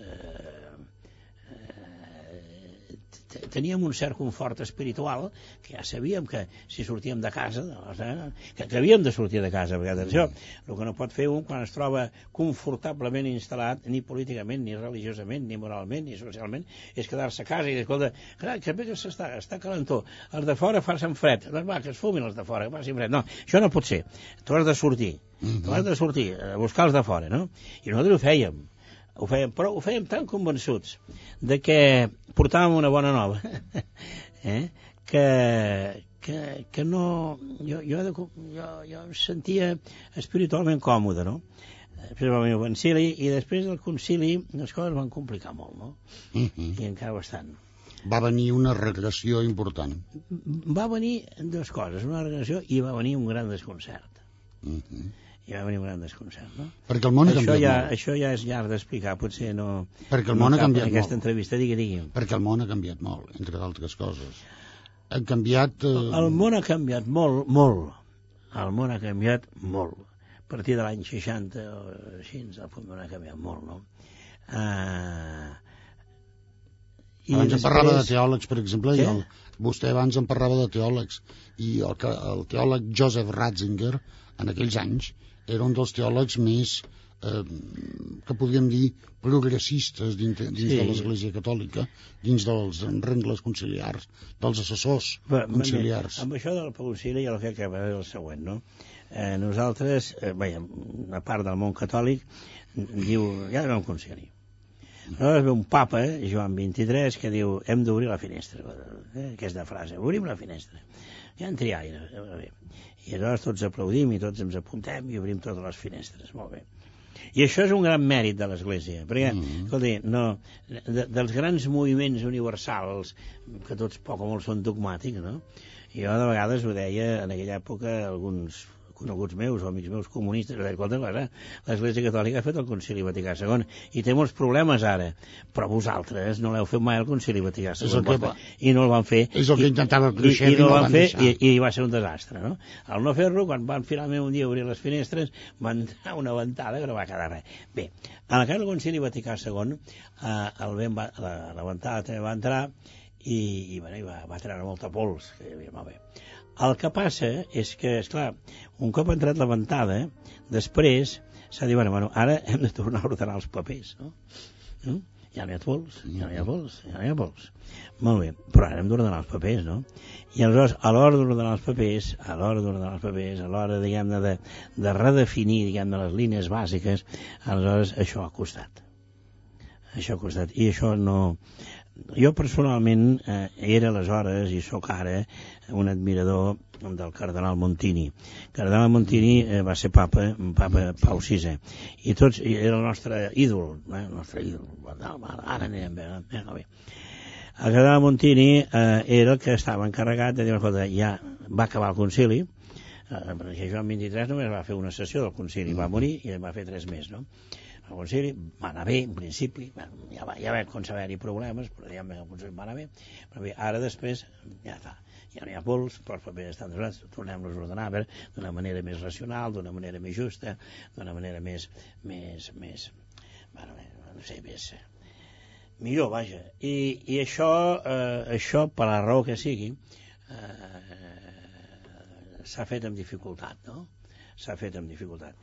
Speaker 3: teníem un cert confort espiritual, que ja sabíem que si sortíem de casa, que havíem de sortir de casa, perquè atenció, el que no pot fer un quan es troba confortablement instal·lat, ni políticament, ni religiosament, ni moralment, ni socialment, és quedar-se a casa i dir, escolta, que bé que està calentó, els de fora fan fred, doncs va, que es fumin els de fora, que facin fred. No, això no pot ser, tu has de sortir, a buscar els de fora, no? I nosaltres ho fèiem. Però ho fèiem tan convençuts de que portàvem una bona nova que no jo em sentia espiritualment còmode, no? Després va venir el concili i després del concili les coses van complicar molt, no? I encara bastant.
Speaker 2: Va venir una regressió important.
Speaker 3: Va venir dues coses, una regressió i va venir un gran desconcert. I va venir un gran desconcert, no?
Speaker 2: Perquè el món ha canviat molt.
Speaker 3: Això ja és llarg d'explicar, potser no...
Speaker 2: Perquè el món ha canviat molt.
Speaker 3: Aquesta entrevista, digui.
Speaker 2: Perquè el món ha canviat molt, entre d'altres coses. Ha canviat...
Speaker 3: El món ha canviat molt, molt. El món ha canviat molt. A partir de l'any 60 o així, el món ha canviat molt, no?
Speaker 2: Abans em parlava de teòlegs, per exemple, vostè abans em parlava de teòlegs, i el teòleg Joseph Ratzinger, en aquells anys, era un dels teòlegs més, que podríem dir, progressistes dins de l'Església Catòlica, dins dels rengles conciliars, dels assessors conciliars.
Speaker 3: Amb això del concili el que acaba és el següent, no? Nosaltres, una part del món catòlic, diu, ja no hi ha un concili. Aleshores ve un papa, Joan XXIII, que diu, hem d'obrir la finestra. Aquesta frase, obrim la finestra. Ja en triaire. I aleshores tots aplaudim i tots ens apuntem i obrim totes les finestres. Molt bé. I això és un gran mèrit de l'Església, perquè, escolti, dels grans moviments universals, que tots poc o molt són dogmàtics, no? Jo de vegades ho deia en aquella època alguns coneguts meus o amics meus comunistes, l'Església Catòlica ha fet el Concili Vaticà II i té molts problemes ara, però vosaltres no l'heu fet mai el Concili Vaticà II i no el van fer.
Speaker 2: És el que intentava Khrushchev
Speaker 3: i no el van fer i va ser un desastre, no? Al no fer-lo, quan van finalment un dia obrir les finestres, van entrar una ventada que no va quedar res. Bé, en el cas del Concili Vaticà II, la ventada també va entrar i va treure molta pols, que hi havia molt bé. El que passa és que, esclar, un cop ha entrat la ventada, després s'ha dit, bueno, ara hem de tornar a ordenar els papers, no? Ja no hi ha pols, ja no hi ha pols, ja no hi ha pols. Molt bé, però ara hem d'ordenar els papers, no? I aleshores, a l'hora d'ordenar els papers, a l'hora, diguem-ne, de redefinir, diguem-ne, les línies bàsiques, aleshores això ha costat. Això ha costat. I això no... Jo personalment era aleshores i sóc ara un admirador del cardenal Montini. El cardenal Montini va ser papa Pau VI i tots era el nostre ídol, ara anem bé. El cardenal Montini era el que estava encarregat de dir, escolta, ja va acabar el concili, perquè Joan XXIII només va fer una sessió del concili, va morir i va fer 3 més, no? El concili va anar bé, en principi, ja va haver-hi problemes, però diguem que el concili va anar bé, però bé, ara després ja està, ja no hi ha pols, però els papers estan donats, tornem-los a ordenar d'una manera més racional, d'una manera més justa, d'una manera més no sé, millor, vaja. I això, per la raó que sigui, s'ha fet amb dificultat, no? S'ha fet amb dificultat.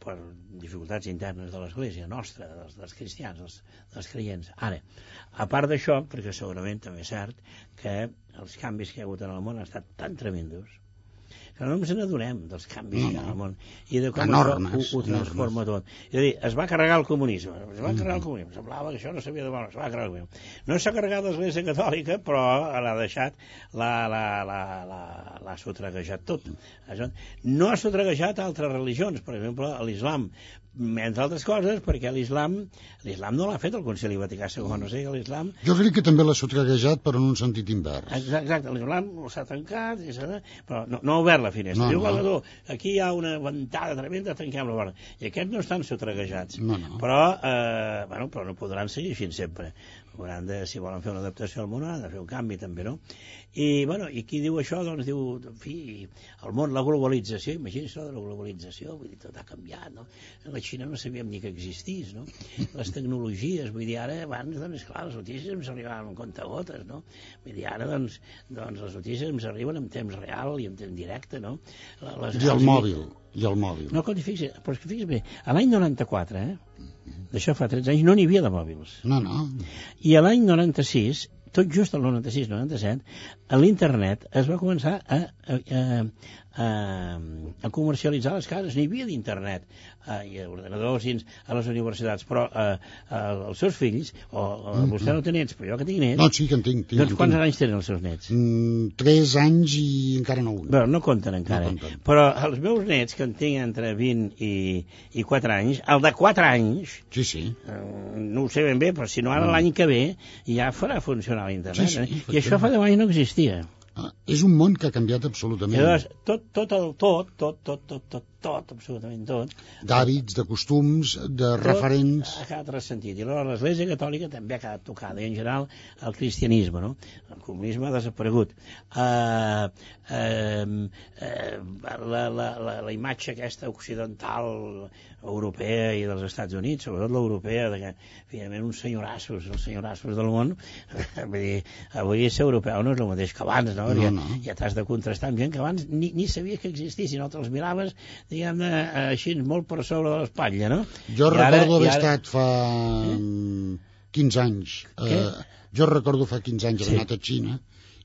Speaker 3: Per dificultats internes de l'Església nostra, dels cristians, dels creients. Ara, a part d'això, perquè segurament també és cert que els canvis que hi ha hagut en el món han estat tan tremendos que no ens n'adonem dels canvis que hi ha al món i de com ho transforma tot. És a dir, es va carregar el comunisme, semblava que això no s'havia de veure, es va carregar el comunisme. No s'ha carregat l'Església Catòlica, però l'ha deixat, l'ha sotreguejat tot. No ha sotreguejat altres religions, per exemple, l'islam, entre altres coses, perquè l'islam no l'ha fet el Concili Vaticà II, no sé, l'islam...
Speaker 2: Jo crec que també l'ha sotreguejat, però en un sentit invers.
Speaker 3: Exacte, l'islam s'ha tancat, però no ha obert la finestra. Diu, aquí hi ha una ventada tremenda, tanquem la porta. I aquests no estan sotreguejats. Però no podran seguir fins sempre. Hauran de, si volen fer una adaptació al món, han de fer un canvi també, no? I qui diu això, doncs diu, en fi, el món, la globalització, imagina't això de la globalització, vull dir, tot ha canviat, no? La Xina no sabíem ni que existís, no? Les tecnologies, vull dir, ara, abans, doncs, clar, les notícies ens arribaven amb comptagotes, no? Vull dir, ara, doncs, les notícies ens arriben en temps real i en temps directe, no?
Speaker 2: I el mòbil.
Speaker 3: No, però fixa't bé, a l'any 94, d'això fa 13 anys, no n'hi havia de mòbils.
Speaker 2: No.
Speaker 3: I a l'any 96, tot just el 96-97, a l'internet es va començar a comercialitzar les cases. N'hi havia d'internet i ordenadors a les universitats, però els seus fills, vostè no té nets, però jo que tinc nets...
Speaker 2: No, sí que en tinc.
Speaker 3: Doncs quants anys tenen els seus nets?
Speaker 2: 3 anys i encara no un.
Speaker 3: Bé, no compten encara. Però els meus nets, que en tinc entre 20 i 4 anys, el de 4 anys...
Speaker 2: Sí.
Speaker 3: No ho sé ben bé, però si no ara l'any que ve ja farà funcionar l'internet. Sí, i això fa 10 anys no existia.
Speaker 2: És un món que ha canviat absolutament.
Speaker 3: Llavors, tot, absolutament tot.
Speaker 2: D'hàbits, de costums, de referents...
Speaker 3: Ha quedat ressentit. I aleshores l'Església Catòlica també ha quedat tocada. I en general el cristianisme, no? El comunisme ha desaparegut. La imatge aquesta occidental, europea i dels Estats Units, sobretot l'europea, que finalment els senyorassos del món, vull dir, avui ser europeu no és el mateix que abans, no? Ja t'has de contrastar amb gent que abans ni sabia que existissin, no te'ls miraves, diguem-ne, així molt per sobre de l'espatlla, no?
Speaker 2: Jo recordo haver estat fa 15 anys. Jo recordo fa 15 anys haver anat a Xina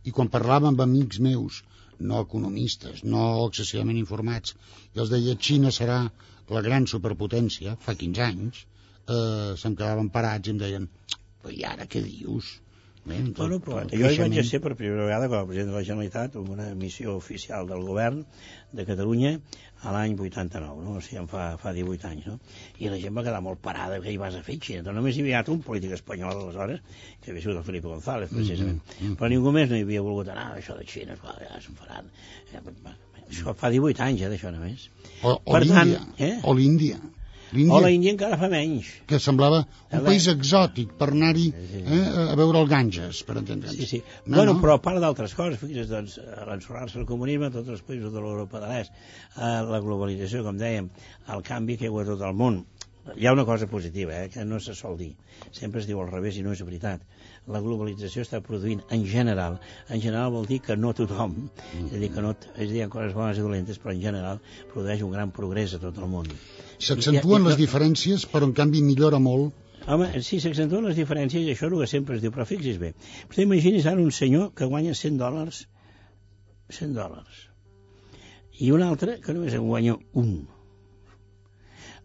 Speaker 2: i quan parlava amb amics meus, no economistes, no excessivament informats, i els deia Xina serà la gran superpotència, fa 15 anys, se'm quedaven parats i em deien, però i ara què dius?
Speaker 3: Bueno, però jo hi vaig ser per primera vegada com a president de la Generalitat en una missió oficial del govern de Catalunya a l'any 89, no? O sigui, fa 18 anys, no? I la gent va quedar molt parada, què hi vas a fer, Xina? Només hi havia un polític espanyol aleshores, que havia sigut el Felipe González, precisament. Però ningú més no hi havia volgut anar, això de Xina, ja se'n faran. Això fa 18 anys, d'això només.
Speaker 2: O l'Índia.
Speaker 3: O la Índia encara fa menys.
Speaker 2: Que semblava un país exòtic per anar-hi a veure el Ganges, per entendre'ns.
Speaker 3: Sí. Bueno, però a part d'altres coses, fixa't, doncs, a l'ensorrar-se el comunisme, tots els països de l'Europa de l'Est, la globalització, com dèiem, el canvi que hi ha a tot el món. Hi ha una cosa positiva, que no se sol dir. Sempre es diu al revés i no és veritat. La globalització està produint en general vol dir que no tothom, és a dir, que no, hi ha coses bones i dolentes, però en general produeix un gran progrés a tot el món.
Speaker 2: S'accentuen les diferències, però en canvi millora molt.
Speaker 3: Home, sí, s'accentuen les diferències i això és el que sempre es diu, però fixis bé. Vostè imagini's ara un senyor que guanya $100, i un altre que només en guanya un.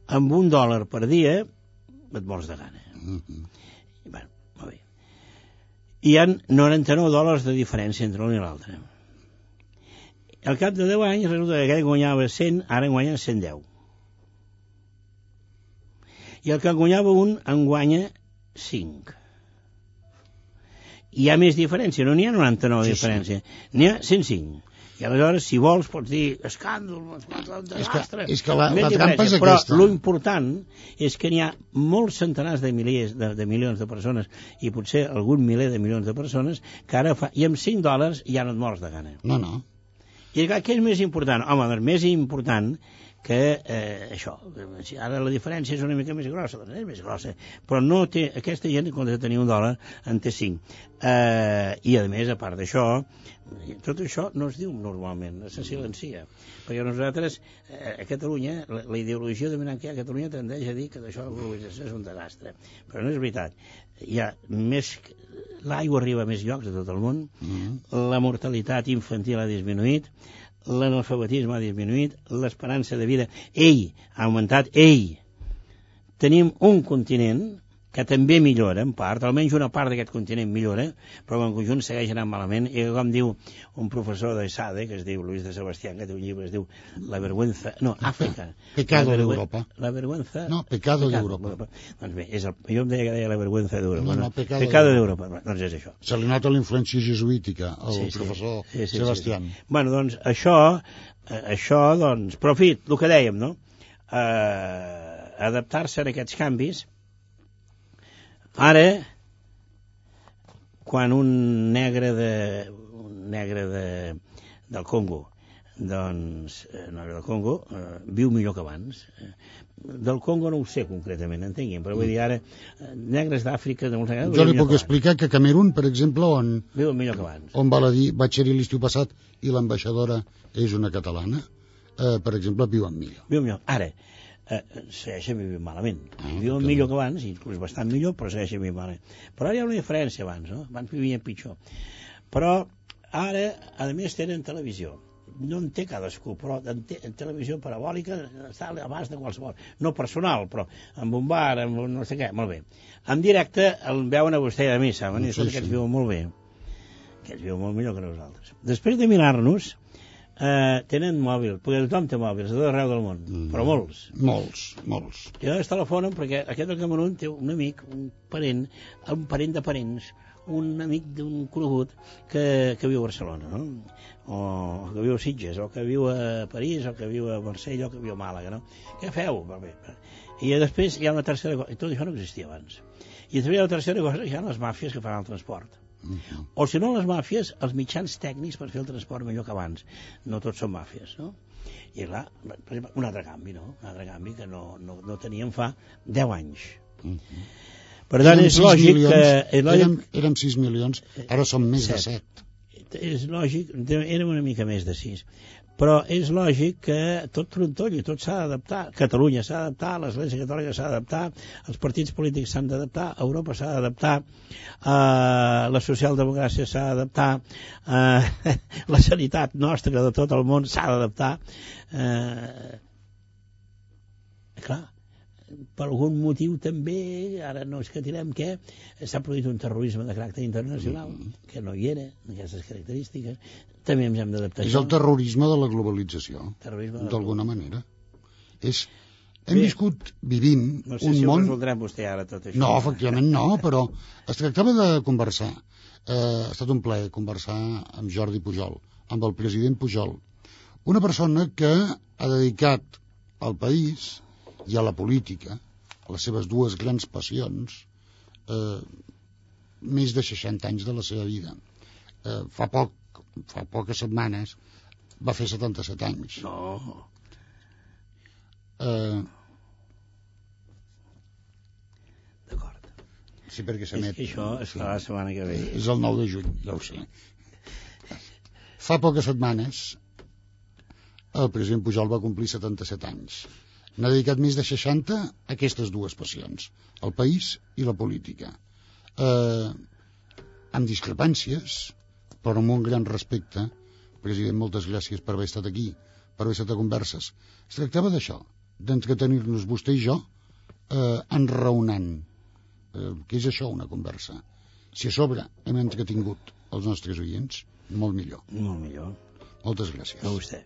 Speaker 3: Amb $1 per dia et mors de gana. Bueno, molt bé. Hi ha $99 de diferència entre l'un i l'altre. Al cap de 10 anys resulta que aquell guanyava 100, ara en guanya 110. I el que en guanyava un en guanya 5. Hi ha més diferència, no n'hi ha 99 de diferència, n'hi ha 105. I aleshores, si vols, pots dir escàndol, desastre.
Speaker 2: És que la trampa és aquesta.
Speaker 3: Però l'important és que n'hi ha molts centenars de milions de persones i potser algun miler de milions de persones que ara fa... I amb $5 ja no et mors de gana.
Speaker 2: No.
Speaker 3: I què és més important? Home, doncs més important que això. Ara la diferència és una mica més grossa, doncs és més grossa, però no té, aquesta gent, en comptes de tenir $1, en té 5. I, a més, a part d'això, tot això no es diu normalment, se silencia. Perquè nosaltres, a Catalunya, la ideologia dominant que hi ha a Catalunya tendeix a dir que d'això la globalització és un desastre. Però no és veritat. Hi ha més... L'aigua arriba a més llocs de tot el món, la mortalitat infantil ha disminuït, l'analfabetisme ha disminuït, l'esperança de vida, ha augmentat, tenim un continent que també millora, en part, almenys una part d'aquest continent millora, però en conjunt segueix anant malament, i com diu un professor de SADE, que es diu Luis de Sebastián, que té un llibre, es diu La vergüenza... No, Àfrica.
Speaker 2: Pecado d'Europa.
Speaker 3: La vergüenza...
Speaker 2: No, pecado d'Europa.
Speaker 3: Doncs bé, jo em deia que deia la vergüenza d'Europa.
Speaker 2: No,
Speaker 3: pecado d'Europa. Doncs és això.
Speaker 2: Se li nota la influència jesuítica al professor Sebastián.
Speaker 3: Bueno, doncs això, doncs... Però, en fi, el que dèiem, no? Adaptar-se a aquests canvis. Ara, quan un negre del Congo, doncs, viu millor que abans. Del Congo no ho sé concretament, entenguin, però vull dir ara, negres d'Àfrica...
Speaker 2: Jo li puc explicar que a Camerún, per exemple, on...
Speaker 3: Viu millor que abans.
Speaker 2: On val a dir, vaig ser-hi l'estiu passat i l'ambaixadora és una catalana, per exemple, viuen millor.
Speaker 3: Viu millor. Ara, segueixen vivint malament. Viuen millor que abans, inclús bastant millor, però segueixen vivint malament. Però ara hi ha una diferència abans, no? Abans vivien pitjor. Però ara, a més, tenen televisió. No en té cadascú, però en televisió parabòlica està a l'abast de qualsevol. No personal, però amb un bar, amb un no sé què, molt bé. En directe el veuen a vostè i a mi, saben? I aquests viuen molt bé. Aquests viuen molt millor que nosaltres. Després de mirar-nos, tenen mòbil, perquè tothom té mòbils a tot arreu del món, però molts. I llavors telefonen perquè aquest del Camerún té un amic, un parent de parents, un amic d'un conegut que viu a Barcelona, no? O que viu a Sitges, o que viu a París, o que viu a Marsella, o que viu a Màlaga, no? Què feu? I després hi ha una tercera cosa, i tot això no existia abans. I després hi ha una tercera cosa, hi ha les màfies que fan el transport. O si no les màfies, els mitjans tècnics per fer el transport millor que abans. No tots són màfies, no? I clar, per exemple, un altre canvi, no? Un altre canvi que no teníem fa 10 anys. Per tant, és lògic que...
Speaker 2: Érem 6 milions, ara som més de 7.
Speaker 3: És lògic, érem una mica més de 6. Però és lògic que tot trontolli, tot s'ha d'adaptar. Catalunya s'ha d'adaptar, l'Església Catòlica s'ha d'adaptar, els partits polítics s'han d'adaptar, Europa s'ha d'adaptar, la socialdemocràcia s'ha d'adaptar, la sanitat nostra de tot el món s'ha d'adaptar. Clar, per algun motiu també, ara no és que tirem què, s'ha produït un terrorisme de caràcter internacional, que no hi era, aquestes característiques, també ens hem d'adaptar.
Speaker 2: És el terrorisme de la globalització, d'alguna manera. Vivim
Speaker 3: no sé
Speaker 2: un
Speaker 3: si
Speaker 2: món...
Speaker 3: ho resoldrà vostè ara tot això.
Speaker 2: No, efectivament no, però es tractava de conversar. Ha estat un plaer conversar amb Jordi Pujol, amb el president Pujol, una persona que ha dedicat al país i a la política, a les seves dues grans passions, més de 60 anys de la seva vida. Fa poques setmanes va fer 77 anys.
Speaker 3: No. D'acord.
Speaker 2: Sí, perquè s'emet.
Speaker 3: És que això es farà la setmana que ve.
Speaker 2: És el 9 de juny, ja ho sé. Fa poques setmanes el president Pujol va complir 77 anys. N'ha dedicat més de 60 a aquestes dues passions, el país i la política. Amb discrepàncies, però amb un gran respecte. President, moltes gràcies per haver estat aquí, per haver estat a converses. Es tractava d'això, d'entretenir-nos vostè i jo enraonant. Què és això, una conversa? Si a sobre hem entretingut els nostres oients, molt millor.
Speaker 3: Molt millor.
Speaker 2: Moltes gràcies.
Speaker 3: A vostè.